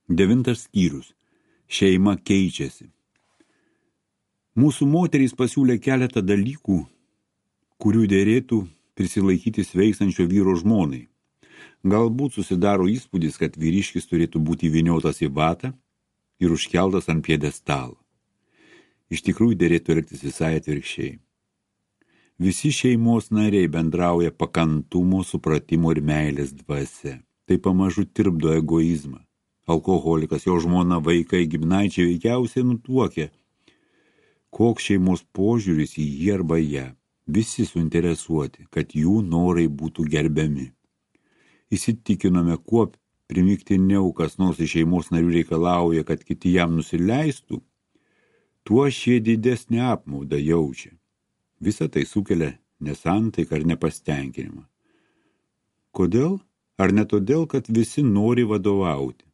9 skyrius. Šeima keičiasi. Mūsų moterys pasiūlė keletą dalykų, kurių dėrėtų prisilaikyti sveikstančio vyro žmonai. Galbūt susidaro įspūdis, kad vyriškis turėtų būti įvyniotas į vatą ir užkeltas ant pjedestalo. Iš tikrųjų dėrėtų elgtis visai atvirkščiai. Visi šeimos nariai bendrauja pakantumo, supratimo ir meilės dvasia. Tai pamažu tirpdo egoizmą. Alkoholikas, jo žmona, vaikai, giminaičiai veikiausiai nutuokia, koks šeimos požiūris į jį arba ją. Visi suinteresuoti, kad jų norai būtų gerbiami. Įsitikinome, kuo primygtiniau kas nors iš šeimos narių reikalauja, kad kiti jam nusileistų, tuo šie didesnį apmaudą jaučia. Visa tai sukelia nesantaiką ar nepastenkinimą. Kodėl? Ar ne todėl, kad visi nori vadovauti?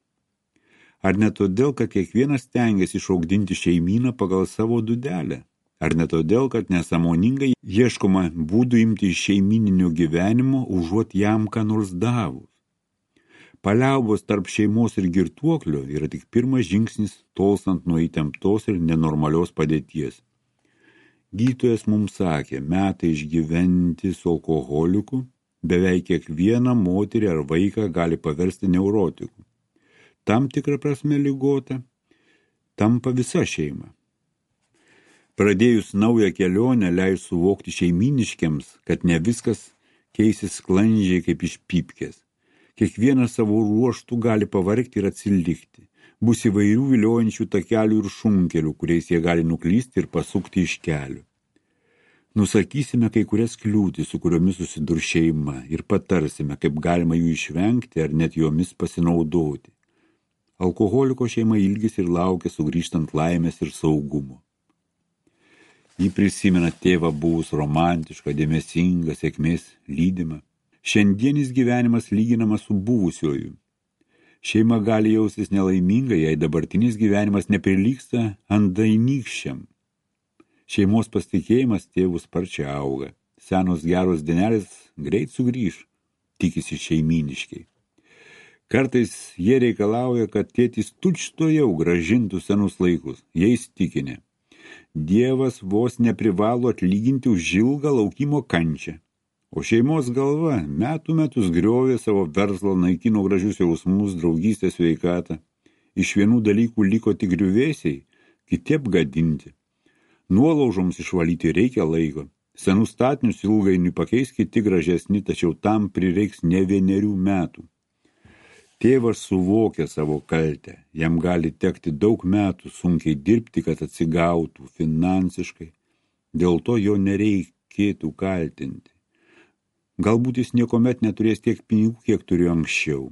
Ar ne todėl, kad kiekvienas stengiasi išaugdinti šeimyną pagal savo dūdelę? Ar ne todėl, kad nesąmoningai ieškoma būdų imti iš šeimyninio gyvenimo, užuot jam ką nors davus? Paliaubos tarp šeimos ir girtuoklio yra tik pirmas žingsnis tolstant nuo įtemptos ir nenormalios padėties. Gydytojas mums sakė, metai išgyventi su alkoholiku beveik kiekvieną moterį ar vaiką gali paversti neurotiku. Tam tikrą prasme ligota tampa visa šeima. Pradėjus naują kelionę leis suvokti šeiminiškiams, kad ne viskas keisis sklandžiai kaip iš pypkės. Kiekvienas savo ruoštų gali pavargti ir atsilikti. Bus įvairių viliojančių takelių ir šunkelių, kuriais jie gali nuklysti ir pasukti iš kelių. Nusakysime kai kurias kliūtis, su kuriomis susidurs šeima ir patarsime, kaip galima jų išvengti ar net jomis pasinaudoti. Alkoholiko šeima ilgisi ir laukia sugrįžtant laimės ir saugumo. Jį prisimena tėvą buvus romantišką, dėmesingą, sėkmės lydimą. Šiandienis gyvenimas lyginamas su buvusiuoju. Šeima gali jaustis nelaiminga, jei dabartinis gyvenimas neprilygsta andainykščiam. Šeimos pasitikėjimas tėvų sparčiai auga. Senos geros dienelės greit sugrįž, tikisi šeiminiškiai. Kartais jie reikalauja, kad tėtis tučtuojau grąžintų senus laikus. Jie įsitikinę. Dievas vos neprivalo atlyginti už ilgą laukimo kančią. O šeimos galva metų metus griovė savo verslą, naikino gražius jausmus, draugystę, sveikatą. Iš vienų dalykų liko tik griuvėsiai, kiti apgadinti. Nuolaužoms išvalyti reikia laiko. Senus statinius ilgainiui pakeis kiti gražesni, tačiau tam prireiks ne 1 metų. Tėvas suvokia savo kaltę. Jam gali tekti daug metų sunkiai dirbti, kad atsigautų finansiškai. Dėl to jo nereikėtų kaltinti. Galbūt jis niekuomet neturės tiek pinigų, kiek turėjo anksčiau.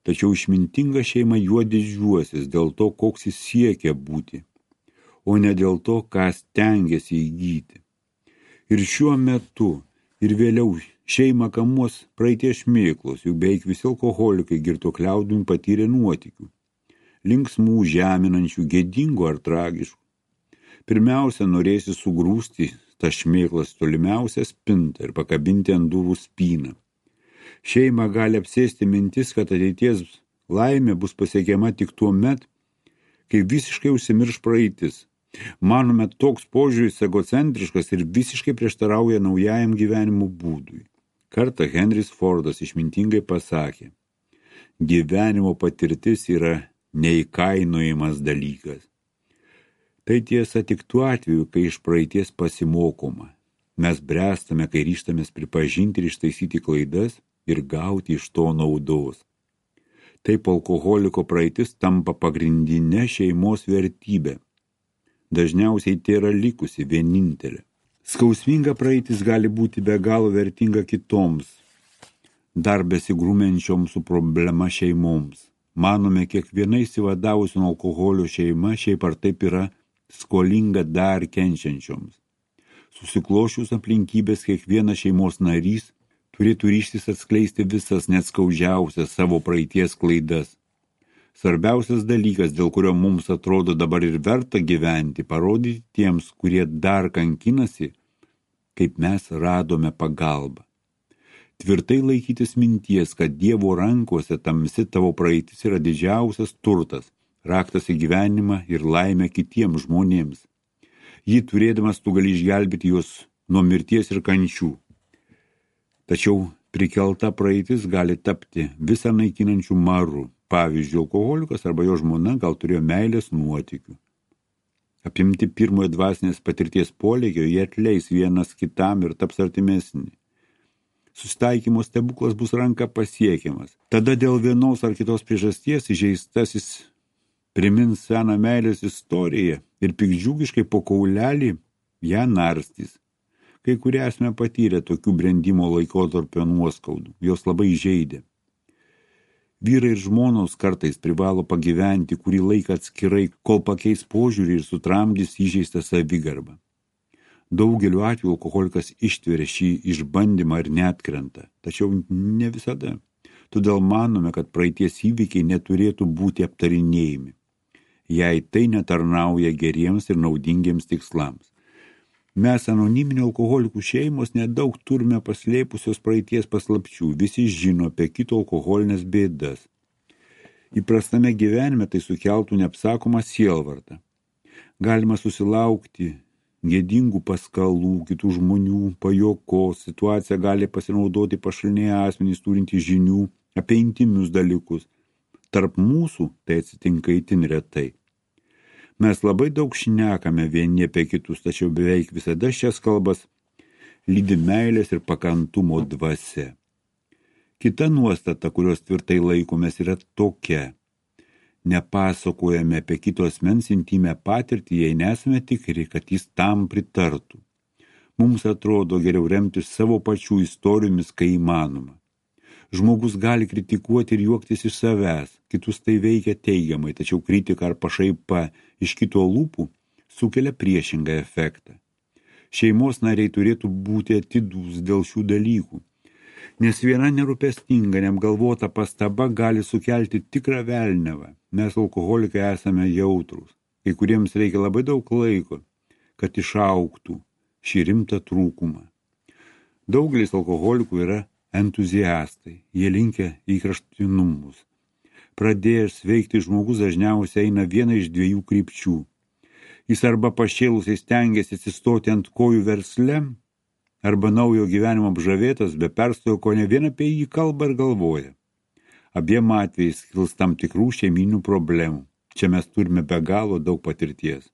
Tačiau išmintinga šeima juo didžiuosis dėl to, koks jis siekia būti, o ne dėl to, ką stengiasi įgyti. Ir šiuo metu, ir vėliau šeimą kamuos praeities šmėklos, juk beveik visi alkoholikai girtuokliaudami patyrė nuotykių. Linksmų, žeminančių, gėdingų ar tragiškų. Pirmiausia, norėsi sugrūsti tą šmėklas tolimiausią spintą ir pakabinti ant durų spyną. Šeima gali apsėsti mintis, kad ateities laimė bus pasiekiama tik tuo met, kai visiškai užsimirš praeitis. Manome, toks požiūris egocentriškas ir visiškai prieštarauja naujajam gyvenimo būdui. Kartą Henris Fordas išmintingai pasakė, gyvenimo patirtis yra neįkainojamas dalykas. Tai tiesa tik tuo atveju, kai iš praeities pasimokoma. Mes bręstame, kai ryžtamės pripažinti ir ištaisyti klaidas ir gauti iš to naudos. Taip alkoholiko praeitis tampa pagrindinė šeimos vertybė. Dažniausiai tai yra likusi vienintelė. Skausminga praeitis gali būti be galo vertinga kitoms, dar besigrūmenčioms su problema šeimoms. Manome, kiekviena įsivadavusi nuo alkoholio šeima šiaip ar taip yra skolinga dar kenčiančioms. Susiklošius aplinkybės kiekvienas šeimos narys turėtų ryžtis atskleisti visas net skaudžiausias savo praeities klaidas. Svarbiausias dalykas, dėl kurio mums atrodo dabar ir verta gyventi, parodyti tiems, kurie dar kankinasi, kaip mes radome pagalbą. Tvirtai laikytis minties, kad Dievo rankose tamsi tavo praeitis yra didžiausias turtas, raktas į gyvenimą ir laimę kitiems žmonėms. Jį turėdamas tu gali išgelbėti juos nuo mirties ir kančių. Tačiau prikelta praeitis gali tapti visą naikinančių maru. Pavyzdžiui, alkoholikas arba jo žmona gal turėjo meilės nuotykių. Apimti pirmojo dvasinės patirties polėkio, jie atleis vienas kitam ir taps artimesni. Susitaikymo stebuklas bus ranka pasiekiamas. Tada dėl vienos ar kitos priežasties įžeistasis primins seną meilės istoriją ir pikdžiugiškai po kaulelį ją narstys. Kai kurie esame patyrę tokių brendimo laikotarpio nuoskaudų, jos labai žeidė. Vyrai ir žmonos kartais privalo pagyventi kurį laiką atskirai, kol pakeis požiūrį ir sutramdys įžeistą savigarbą. Daugeliu atveju alkoholikas ištveria šį išbandymą ir neatkrenta, tačiau ne visada. Todėl manome, kad praeities įvykiai neturėtų būti aptarinėjami, jei tai netarnauja geriems ir naudingiems tikslams. Mes anoniminių alkoholikų šeimos nedaug turime paslėpusios praeities paslapčių, visi žino apie kito alkoholinės bėdas. Įprastame gyvenime tai sukeltų neapsakomą sielvartą. Galima susilaukti gėdingų paskalų, kitų žmonių, pajokos, situacija gali pasinaudoti pašaliniai asmenys turintys žinių apie intimius dalykus. Tarp mūsų tai atsitinka itin retai. Mes labai daug šnekame vieni apie kitus, tačiau beveik visada šias kalbas lydi meilės ir pakantumo dvasia. Kita nuostata, kurios tvirtai laikomės, yra tokia. Nepasakojame apie kito asmens intimę patirtį, jei nesame tikri, kad jis tam pritartų. Mums atrodo geriau remtis savo pačių istorijomis, kai įmanoma. Žmogus gali kritikuoti ir juoktis iš savęs, kitus tai veikia teigiamai, tačiau kritika ar pašaipa iš kito lūpų sukelia priešingą efektą. Šeimos nariai turėtų būti atidūs dėl šių dalykų, nes viena nerūpestinga, neapgalvota pastaba gali sukelti tikrą velniavą. Mes alkoholikai esame jautrūs, kai kuriems reikia labai daug laiko, kad išaugtų šį rimtą trūkumą. Daugelis alkoholikų yra entuziastai, jie linkia į kraštutinumus. Pradėjęs veikti žmogus dažniausiai eina viena iš dviejų krypčių. Jis arba pašėlusiai stengiasi atsistoti ant kojų versle, arba naujo gyvenimo apžavėtas, be perstojo, ko ne vien apie jį kalba ir galvoja. Abiem atvejais kils tam tikrų šeiminių problemų. Čia mes turime be galo daug patirties.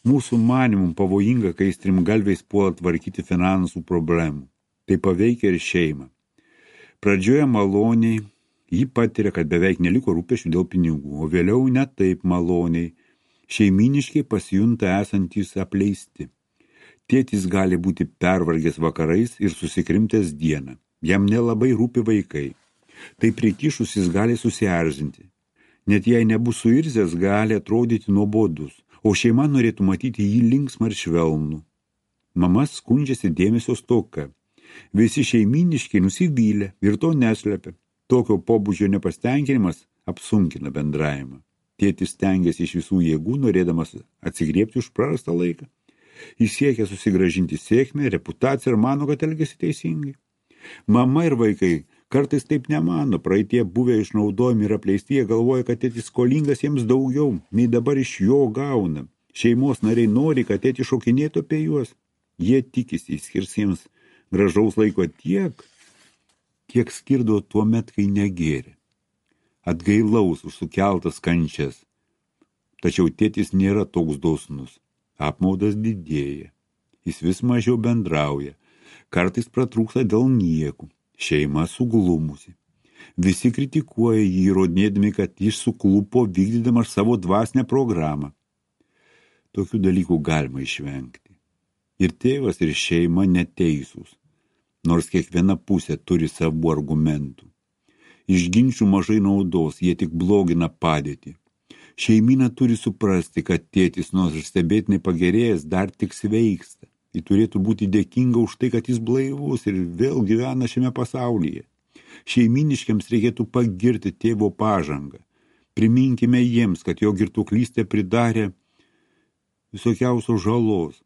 Mūsų manimum pavojinga, kai strimgalviais puola tvarkyti finansų problemų. Tai paveikia ir šeimą. Pradžioje maloniai, ji patiria, kad beveik neliko rūpesčių dėl pinigų, o vėliau ne taip maloniai. Šeiminiškai pasijunta esantys apleisti. Tėtis gali būti pervargęs vakarais ir susikrimtęs dieną. Jam nelabai rūpi vaikai. Tai prikišus jis gali susierzinti. Net jei nebus suirzęs, gali atrodyti nuobodus, o šeima norėtų matyti jį linksmą ir švelnų. Mama skundžiasi dėmesio stoka. Visi šeiminiškai nusivylę ir to neslepia. Tokio pobūdžio nepastenkinimas apsunkina bendravimą. Tėtis stengiasi iš visų jėgų, norėdamas atsigriebti už prarastą laiką. Jis siekia susigrąžinti sėkmę, reputaciją ir mano, kad elgiasi teisingai. Mama ir vaikai kartais taip nemano, praeitie buvę išnaudojami ir apleisti, jie galvoja, kad tėtis skolingas jiems daugiau, nei dabar iš jo gauna. Šeimos nariai nori, kad tėtis šokinėtų apie juos. Jie tikisi, skirs jiems gražaus laiko tiek, kiek skirdavo tuo met, kai negėrė. Atgailaus už sukeltas kančias. Tačiau tėtis nėra toks dosnus. Apmaudas didėja. Jis vis mažiau bendrauja. Kartais pratrūksta dėl niekų. Šeima suglumusi. Visi kritikuoja jį, įrodinėdami, kad jis suklupo vykdydamas savo dvasinę programą. Tokių dalykų galima išvengti. Ir tėvas, ir šeima neteisūs, nors kiekviena pusė turi savų argumentų. Iš ginčių mažai naudos, jie tik blogina padėtį. Šeimyna turi suprasti, kad tėtis, nors ir stebėtinai pagerėjęs, dar tik sveiksta. Ji turėtų būti dėkinga už tai, kad jis blaivus ir vėl gyvena šiame pasaulyje. Šeiminiškiams reikėtų pagirti tėvo pažangą. Priminkime jiems, kad jo girtuoklystė pridarė visokiausios žalos.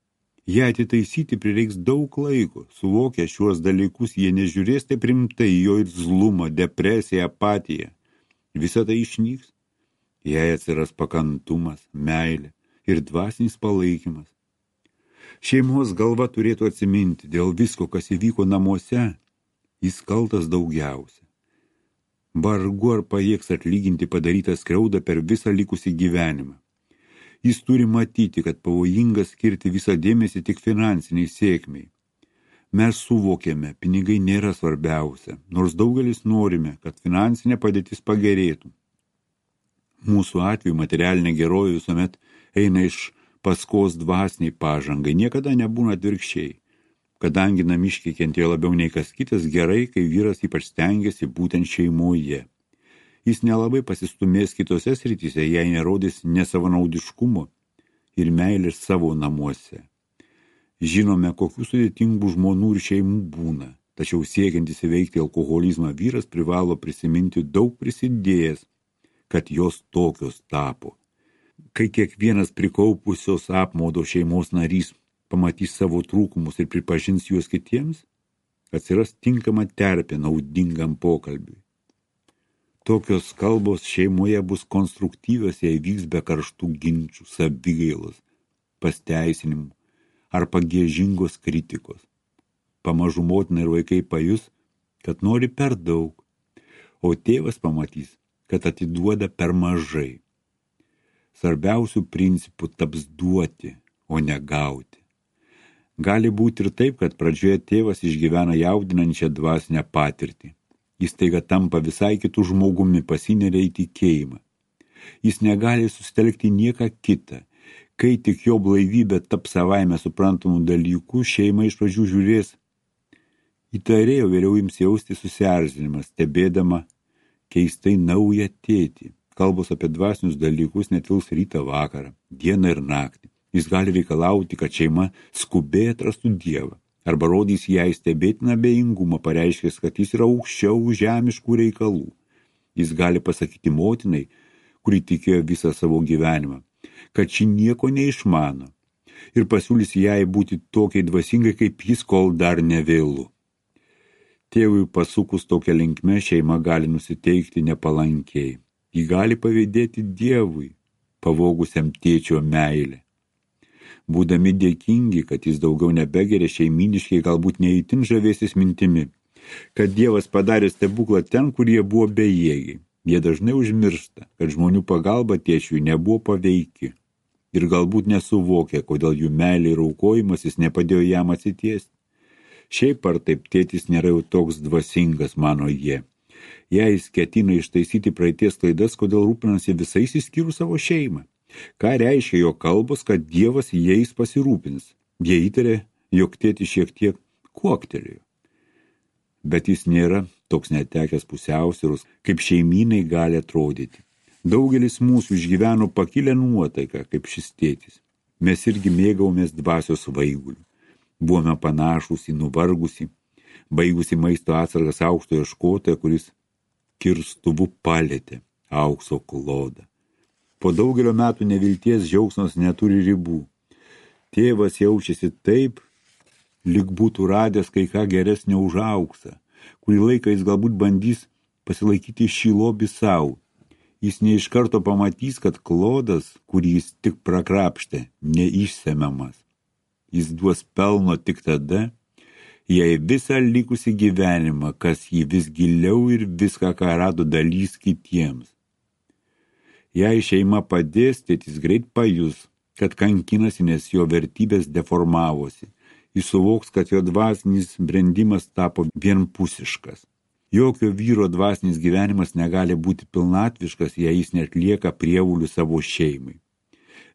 Ją atitaisyti prireiks daug laiko. Suvokę šiuos dalykus, jie nežiūrės taip rimtai jo irzlumą, depresiją, apatiją. Visa tai išnyks. Jei atsiras pakantumas, meilė ir dvasinis palaikymas. Šeimos galva turėtų atsiminti dėl visko, kas įvyko namuose, jis kaltas daugiausia. Vargu ar pajėgs atlyginti padarytą skriaudą per visą likusį gyvenimą. Jis turi matyti, kad pavojinga skirti visą dėmesį tik finansiniai sėkmiai. Mes suvokėme, pinigai nėra svarbiausia, nors daugelis norime, kad finansinė padėtis pagerėtų. Mūsų atveju materialinė gerovė visuomet eina iš paskos dvasiniai pažangai, niekada nebūna atvirkščiai. Kadangi namiškiai kentėjo labiau nei kas kitas, gerai, kai vyras ypač stengiasi būtent šeimoje. Jis nelabai pasistumės kitose srityse, jei nerodys nesavanaudiškumo ir meilės savo namuose. Žinome, kokių sudėtingų žmonų ir šeimų būna, tačiau siekiantis įveikti alkoholizmą vyras privalo prisiminti daug prisidėjęs, kad jos tokios tapo. Kai kiekvienas prikaupusios apmaudo šeimos narys pamatys savo trūkumus ir pripažins juos kitiems, atsiras tinkama terpė naudingam pokalbiui. Tokios kalbos šeimoje bus konstruktyvios, jei vyks be karštų ginčių, savigailos, pasteisinimų ar pagiežingos kritikos. Pamažu motina ir vaikai pajus, kad nori per daug, o tėvas pamatys, kad atiduoda per mažai. Svarbiausių principų taps duoti, o ne gauti. Gali būti ir taip, kad pradžioje tėvas išgyvena jaudinančią dvasinę patirtį. Jis taiga tampa visai kitų žmogumi, pasineria į tikėjimą. Jis negali susitelkti nieką kitą. Kai tik jo blaivybė taps savaime suprantamų dalykų, šeima iš pradžių žiūrės įtariai, o vėliau ims jausti susierzinimą, stebėdama keistai naują tėtį. Kalbos apie dvasinius dalykus netils rytą vakarą, dieną ir naktį. Jis gali reikalauti, kad šeima skubiai atrastų Dievą. Arba rodys jai stebėtiną abejingumą, pareiškęs, kad jis yra aukščiau žemiškų reikalų. Jis gali pasakyti motinai, kuri tikėjo visą savo gyvenimą, kad ši nieko neišmano ir pasiūlys jai būti tokiai dvasingai, kaip jis, kol dar nevėlu. Tėvui pasukus tokią linkmę, šeima gali nusiteikti nepalankiai. Ji gali pavydėti Dievui, pavogusiam tėčio meilę. Būdami dėkingi, kad jis daugiau nebegeria, šeiminiškai galbūt neįtin žavėsis mintimi, kad Dievas padarė stebuklą ten, kur jie buvo bejėgiai. Jie dažnai užmiršta, kad žmonių pagalba tėčiui nebuvo paveiki ir galbūt nesuvokia, kodėl jų meilė ir aukojimasis nepadėjo jam atsitiesti. Šiaip ar taip tėtis nėra jau toks dvasingas, mano jie. Jei jis ketina ištaisyti praeities klaidas, kodėl rūpinasi visais išskyrus savo šeimą. Ką reiškia jo kalbos, kad Dievas jais pasirūpins? Jie įtarė, jog tėtis šiek tiek kuoktelėjo. Bet jis nėra toks netekęs pusiausvyros, kaip šeimynai gali atrodyti. Daugelis mūsų išgyveno pakilę nuotaiką, kaip šis tėtis. Mes irgi mėgavomės dvasios vaigulių. Buvome panašūs į nuvargusį, baigusi maisto atsargas aukšto ieškotoją, kuris kirstuvu palėtė aukso klodą. Po daugelio metų nevilties džiaugsmas neturi ribų. Tėvas jaučiasi taip, lyg būtų radęs kai ką geresnio už auksą, kurį laiką jis galbūt bandys pasilaikyti šį lobį savo. Jis ne iš karto pamatys, kad klodas, kurį jis tik prakrapštė, neišsemiamas. Jis duos pelno tik tada, jei visą likusį gyvenimą, kas jį vis giliau ir viską, ką rado, dalys kitiems. Jei šeima padės, tėtis greit pajus, kad kankinasi, nes jo vertybės deformavosi. Jis suvoks, kad jo dvasinis brendimas tapo vienpusiškas. Jokio vyro dvasinis gyvenimas negali būti pilnatviškas, jei jis neatlieka prievulių savo šeimai.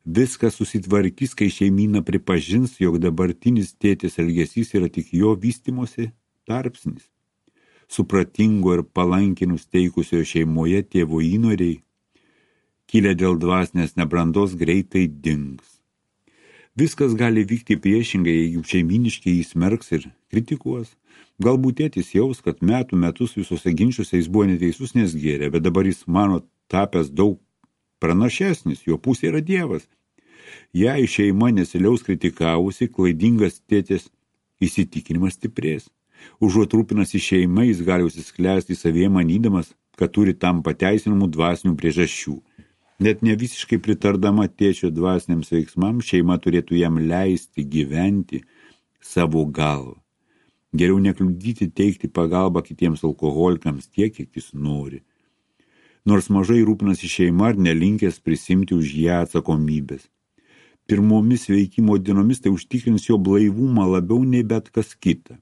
Viskas susitvarkys, kai šeimyna pripažins, jog dabartinis tėtės elgesys yra tik jo vystymosi tarpsnis. Supratingo ir palankiai nusteikusio šeimoje tėvo įnoriai, kilę dėl dvasinės nebrandos, greitai dings. Viskas gali vykti priešingai, jeigu šeiminiškai jį smerks ir kritikuos. Galbūt tėtis jaus, kad metus visose ginčiuose jis buvo neteisus, nes gėrė, bet dabar jis mano tapęs daug pranašesnis, jo pusė yra Dievas. Jei šeima nesiliaus kritikavusi, klaidingas tėtės įsitikinimas stiprės. Užuot rūpinasi šeima, jis gali užsisklęsti savyje manydamas, kad turi tam pateisinamų dvasinių priežasčių. Net ne visiškai pritardama tėčio dvasiniams veiksmams, šeima turėtų jam leisti gyventi savo galvą. Geriau nekliudyti teikti pagalbą kitiems alkoholikams tiek, kiek jis nori. Nors mažai rūpinasi šeima ar nelinkęs prisimti už ją atsakomybės. Pirmomis veikimo dienomis tai užtikrins jo blaivumą labiau nei bet kas kita.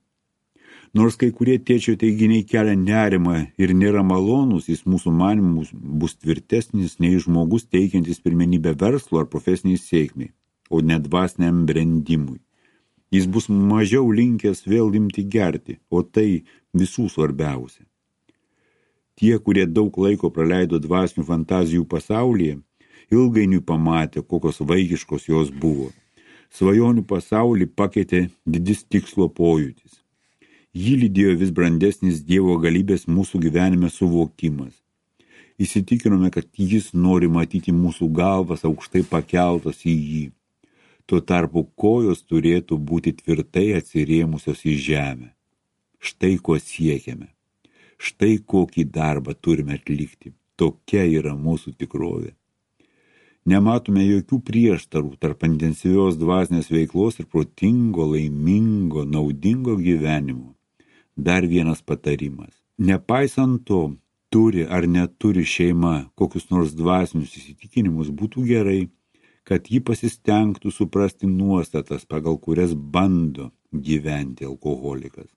Nors kai kurie tėčio teiginiai kelia nerimą ir nėra malonus, jis mūsų manymu bus tvirtesnis nei žmogus teikiantis pirmenybę verslo ar profesiniai sėkmiai, o ne dvasiniam brendimui. Jis bus mažiau linkęs vėl imti gerti, o tai visų svarbiausia. Tie, kurie daug laiko praleido dvasinių fantazijų pasaulyje, ilgainiui pamatė, kokios vaikiškos jos buvo. Svajonių pasaulį pakeitė didis tikslo pojūtis. Jį lydėjo vis brandesnis Dievo galybės mūsų gyvenime suvokimas. Įsitikinome, kad jis nori matyti mūsų galvas aukštai pakeltas į jį. Tuo tarpu kojos turėtų būti tvirtai atsirėmusios į žemę. Štai ko siekiame. Štai kokį darbą turime atlikti. Tokia yra mūsų tikrovė. Nematome jokių prieštarų tarp intensyvios dvasinės veiklos ir protingo, laimingo, naudingo gyvenimo. Dar vienas patarimas. Nepaisant to, turi ar neturi šeima kokius nors dvasinius įsitikinimus, būtų gerai, kad ji pasistengtų suprasti nuostatas, pagal kurias bando gyventi alkoholikas.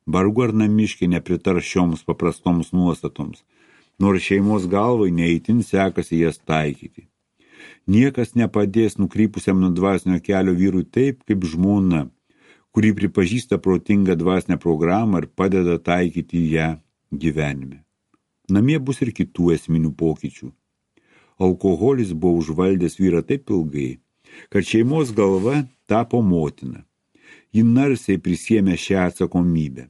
Vargu ar namiškiai nepritar šioms paprastoms nuostatoms, nors šeimos galvai neįtin sekasi jas taikyti. Niekas nepadės nukrypusiam nuo dvasinio kelio vyrui taip, kaip žmona, kuri pripažįsta protingą dvasinę programą ir padeda taikyti ją gyvenime. Namie bus ir kitų esminių pokyčių. Alkoholis buvo užvaldęs vyrą taip ilgai, kad šeimos galva tapo motina. Ji narsiai prisiėmė šią atsakomybę.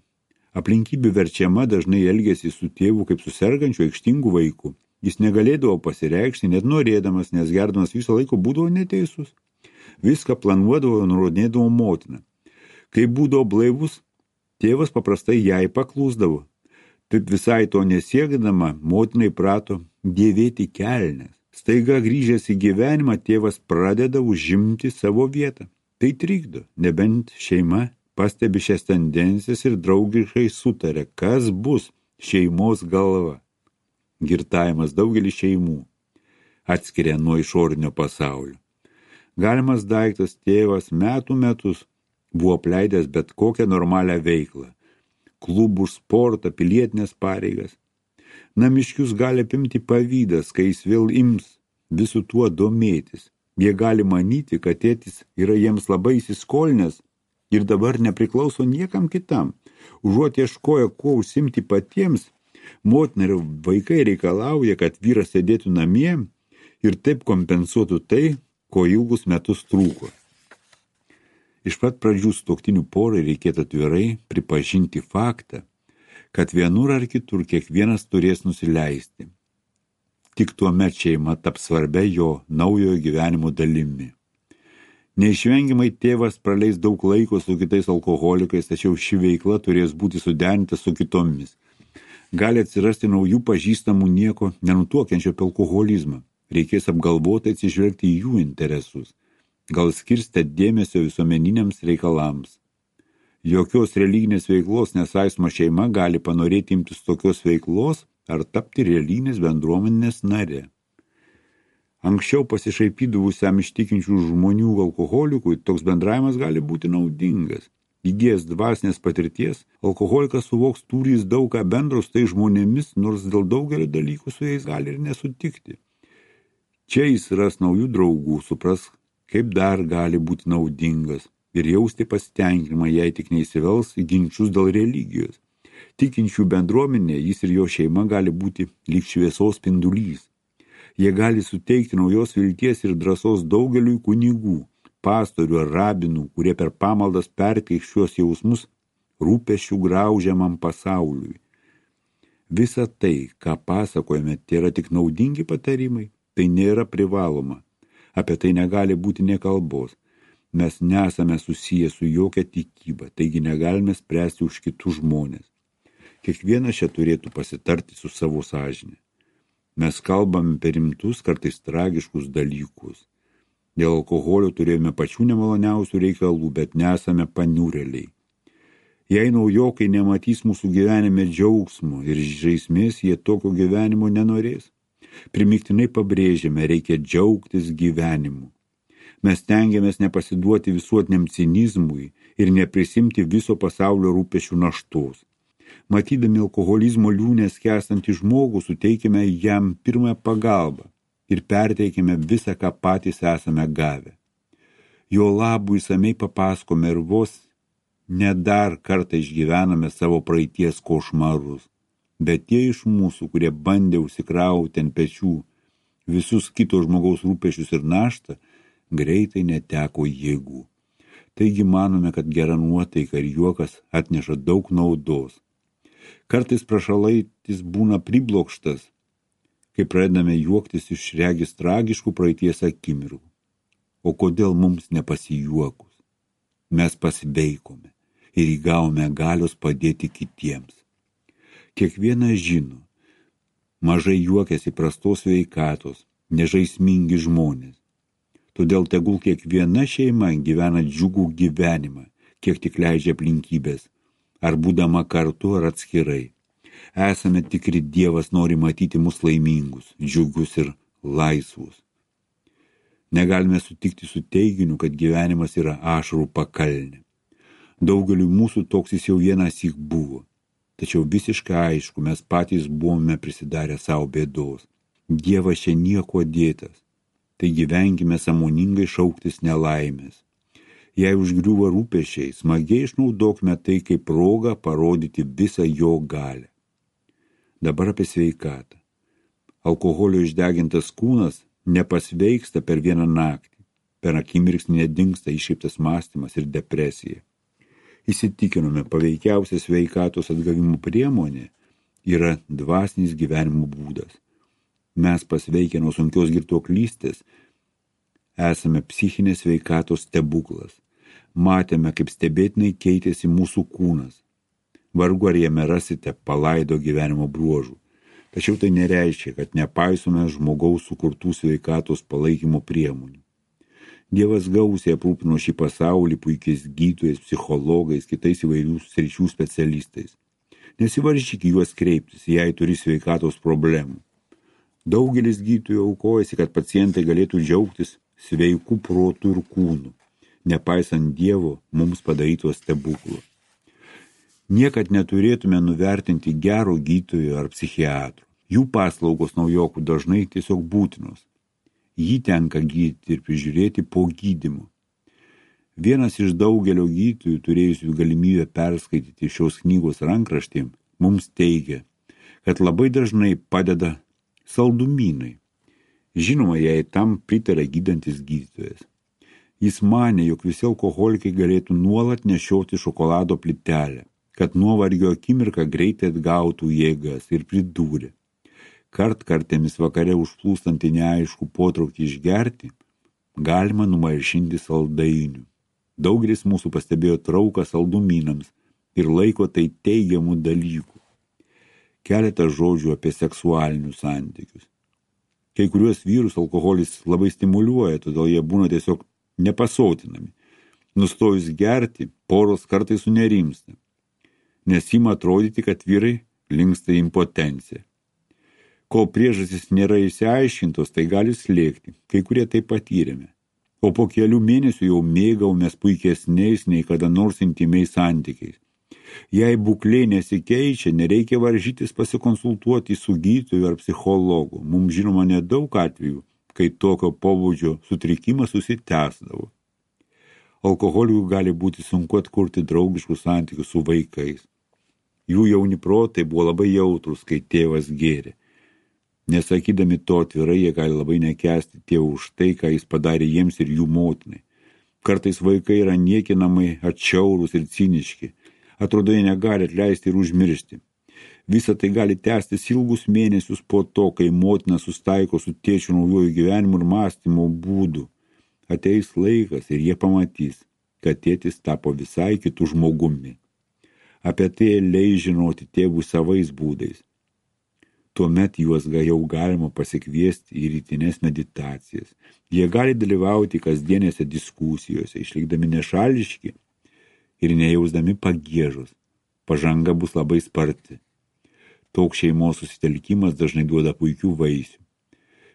Aplinkybių verčiama dažnai elgėsi su tėvu kaip su sergančiu aikštingu vaiku. Jis negalėdavo pasireikšti, net norėdamas, nes gerdamas viso laiko būdavo neteisus. Viską planuodavo ir nurodinėdavo motina. Kai būdavo blaivus, tėvas paprastai jai paklūsdavo. Taip visai to nesiekdama, motinai prato dėvėti kelnes. Staiga grįžęs į gyvenimą, tėvas pradeda užimti savo vietą. Tai trikdo, nebent šeima pastebi šias tendencijas ir draugiškai sutarė, kas bus šeimos galva. Girtavimas daugelį šeimų atskiria nuo išorinio pasaulio. Galimas daiktas tėvas metus buvo apleidęs bet kokią normalią veiklą. Klubų, sportą, pilietinės pareigas. Namiškius gali apimti pavydas, kai jis vėl ims visų tuo domėtis. Jie gali manyti, kad tėtis yra jiems labai įsiskolinęs ir dabar nepriklauso niekam kitam. Užuot ieškoję, kuo užsimti patiems, motina ir vaikai reikalauja, kad vyras sėdėtų namie ir taip kompensuotų tai, ko ilgus metus trūko. Iš pat pradžių sutuoktinių porai reikėtų atvirai pripažinti faktą, kad vienur ar kitur kiekvienas turės nusileisti. Tik tuomet šeima taps svarbia jo naujojo gyvenimo dalimi. Neišvengiamai tėvas praleis daug laiko su kitais alkoholikais, tačiau ši veikla turės būti suderinta su kitomis. Gali atsirasti naujų pažįstamų nieko nenutuokiančio apie alkoholizmą. Reikės apgalvotai atsižvelgti į jų interesus. Gal skirstę dėmesio visuomeniniams reikalams. Jokios religinės veiklos nesaistoma šeima gali panorėti imtis tokios veiklos ar tapti religinės bendruomenės nare. Anksčiau pasišaipydavusiam ištikinčių žmonių alkoholikui toks bendravimas gali būti naudingas. Įgijęs dvasinės patirties, alkoholikas suvoks turys daug ką bendro su tai žmonėmis, nors dėl daugelio dalykų su jais gali ir nesutikti. Čia jis ras naujų draugų, supras, kaip dar gali būti naudingas ir jausti pasitenkinimą, jei tik neįsivels į ginčius dėl religijos. Tikinčių bendruomenė, jis ir jo šeima gali būti lyg šviesos spindulys. Jie gali suteikti naujos vilties ir drąsos daugeliui kunigų, pastorių ar rabinų, kurie per pamaldas perteiks šiuos jausmus rūpesčių graužiamam pasauliui. Visa tai, ką pasakojame, tai yra tik naudingi patarimai, tai nėra privaloma. Apie tai negali būti nė kalbos. Mes nesame susiję su jokia tikyba, taigi negalime spręsti už kitus žmonės. Kiekvienas čia turėtų pasitarti su savo sąžine. Mes kalbame per rimtus, kartais tragiškus dalykus. Dėl alkoholio turėjome pačių nemaloniausių reikalų, bet nesame paniurėliai. Jei naujokai nematys mūsų gyvenime džiaugsmo ir žaismės, jie tokio gyvenimo nenorės. Primiktinai pabrėžiame, reikia džiaugtis gyvenimu. Mes tengiamės nepasiduoti visuotiniam cinizmui ir neprisimti viso pasaulio rūpesčių naštos. Matydami alkoholizmo liūnę skęstantį žmogų, suteikime jam pirmąją pagalbą ir perteikime visą, ką patys esame gavę. Jo labui išsamiai papasakome ir vos ne dar kartą išgyvename savo praeities košmarus. Bet tie iš mūsų, kurie bandė užsikrauti ant pečių visus kito žmogaus rūpesčius ir naštą, greitai neteko jėgų. Taigi manome, kad gera nuotaika ir juokas atneša daug naudos. Kartais prašalaitis būna priblokštas, kai pradedame juoktis iš regis tragiškų praeities akimirkų. O kodėl mums nepasijuokus? Mes pasiveikome ir įgavome galios padėti kitiems. Kiekvienas žino, mažai juokiasi prastos sveikatos, nežaismingi žmonės. Todėl tegul kiekviena šeima gyvena džiugų gyvenimą, kiek tik leidžia aplinkybės, ar būdama kartu ar atskirai. Esame tikri, Dievas nori matyti mus laimingus, džiugius ir laisvus. Negalime sutikti su teiginiu, kad gyvenimas yra ašarų pakalnė. Daugeliui mūsų toks jis jau vienąsyk buvo. Tačiau visiškai aišku, mes patys buvome prisidarę savo bėdos. Dievas čia nieko dėtas. Tai gyvenkime sąmoningai šauktis nelaimės. Jei užgriūva rūpesčiai, smagiai išnaudokime tai kaip progą parodyti visą jo galią. Dabar apie sveikatą. Alkoholio išdegintas kūnas nepasveiksta per vieną naktį. Per akimirksnį nedingsta iškreiptas mąstymas ir depresija. Įsitikinome, paveikiausia sveikatos atgavimo priemonė yra dvasinis gyvenimo būdas. Mes pasveikę nuo sunkios girtuoklystės esame psichinės sveikatos stebuklas. Matėme, kaip stebėtinai keitėsi mūsų kūnas. Vargu ar jame rasite palaido gyvenimo bruožų. Tačiau tai nereiškia, kad nepaisome žmogaus sukurtų sveikatos palaikymo priemonių. Dievas gausiai aprūpino šį pasaulį puikiais gydytojais, psichologais, kitais įvairių sričių specialistais. Nesivaržyk juos kreiptis, jei turi sveikatos problemų. Daugelis gydytojų aukojasi, kad pacientai galėtų džiaugtis sveikų protų ir kūnų, nepaisant Dievo mums padarytos stebuklų. Niekad neturėtume nuvertinti gero gydytojo ar psichiatro. Jų paslaugos naujokų dažnai tiesiog būtinos. Jį tenka gydyti ir prižiūrėti po gydymo. Vienas iš daugelio gydytojų, turėjusių galimybę perskaityti šios knygos rankraštį, mums teigia, kad labai dažnai padeda saldumynai. Žinoma, jei tam pritarė gydantis gydytojas. Jis manė, jog visi alkoholikai galėtų nuolat nešioti šokolado plytelę, kad nuovargio akimirką greitai atgautų jėgas ir pridūrė. Kartkartėmis vakare užplūstantį neaiškų potraukį išgerti, galima numalšinti saldainių. Daugelis mūsų pastebėjo trauką saldumynams ir laiko tai teigiamų dalykų. Keletą žodžių apie seksualinius santykius. Kai kuriuos vyrus alkoholis labai stimuliuoja, todėl jie būna tiesiog nepasotinami. Nustojus gerti, poros kartais sunerimsta, nes ima atrodyti, kad vyrai linksta į impotenciją. Kol priežastys nėra išsiaiškintos, tai gali slėgti, kai kurie tai patyrėme. O po kelių mėnesių jau mėgaumės puikesniais nei kada nors intymiais santykiais. Jei būklė nesikeičia, nereikia varžytis pasikonsultuoti su gydytoju ar psichologu. Mums žinoma nedaug atvejų, kai tokio pobūdžio sutrikimas susitęsdavo. Alkoholikui gali būti sunku atkurti draugiškus santykius su vaikais. Jų jauni protai buvo labai jautrus, kai tėvas gėrė. Nesakydami to atvirai, jie gali labai nekęsti tėvų už tai, ką jis padarė jiems ir jų motinai. Kartais vaikai yra niekinamai atšiaurūs ir ciniški. Atrodo, jie negali atleisti ir užmiršti. Visa tai gali tęstis ilgus mėnesius po to, kai motina sustaiko su tėčiu naujojų gyvenimų ir mąstymo būdų. Ateis laikas ir jie pamatys, kad tėtis tapo visai kitų žmogumi. Apie tai leis žinoti tėvų savais būdais. Tuomet juos jau galima pasikviesti į rytinės meditacijas. Jie gali dalyvauti kasdienėse diskusijose, išlikdami nešališki ir nejausdami pagiežos. Pažanga bus labai sparti. Toks šeimos susitelkimas dažnai duoda puikių vaisių.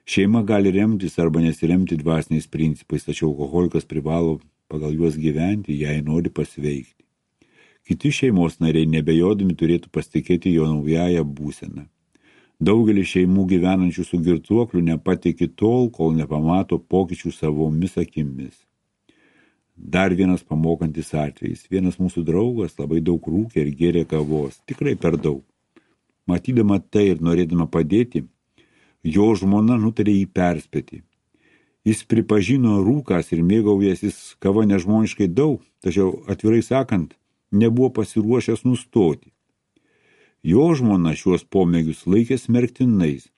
Šeima gali remtis arba nesiremti dvasiniais principais, tačiau alkoholikas privalo pagal juos gyventi, jei nori pasveikti. Kiti šeimos nariai nebejodami turėtų pasitikėti jo naująją būseną. Daugelis šeimų gyvenančių su girtuokliu nepatiki tol, kol nepamato pokyčių savomis akimis. Dar vienas pamokantis atvejis. Vienas mūsų draugas labai daug rūkė ir gėrė kavos, tikrai per daug. Matydama tai ir norėdama padėti, jo žmona nutarė jį perspėti. Jis pripažino rūkas ir mėgaujęsis kava nežmoniškai daug, tačiau atvirai sakant, nebuvo pasiruošęs nustoti. Jo žmona šiuos pomėgius laikė smerktinais,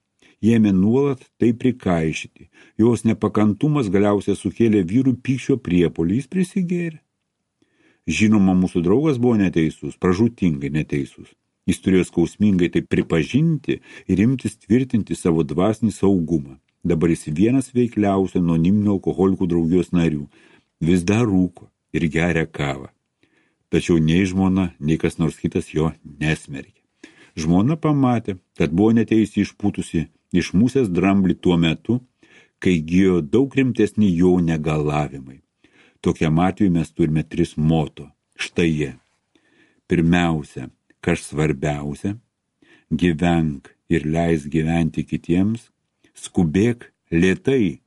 ėmė nuolat tai prikaišyti. Jos nepakantumas galiausiai sukėlė vyrų pykčio priepuolį, jis prisigėrė. Žinoma, mūsų draugas buvo neteisus, pražūtingai neteisus. Jis turėjo skausmingai tai pripažinti ir imtis tvirtinti savo dvasinį saugumą. Dabar jis vienas veikliausių anoniminių alkoholikų draugijos narių. Vis dar rūko ir geria kavą. Tačiau nei žmona, nei kas nors kitas jo nesmerkė. Žmona pamatė, kad buvo neteisi išpūtusi iš musės dramblį tuo metu, kai gijo daug rimtesni jo negalavimai. Tokiam atveju mes turime 3 moto. Štai jie. Pirmiausia, kas svarbiausia, gyvenk ir leis gyventi kitiems, skubėk lėtai,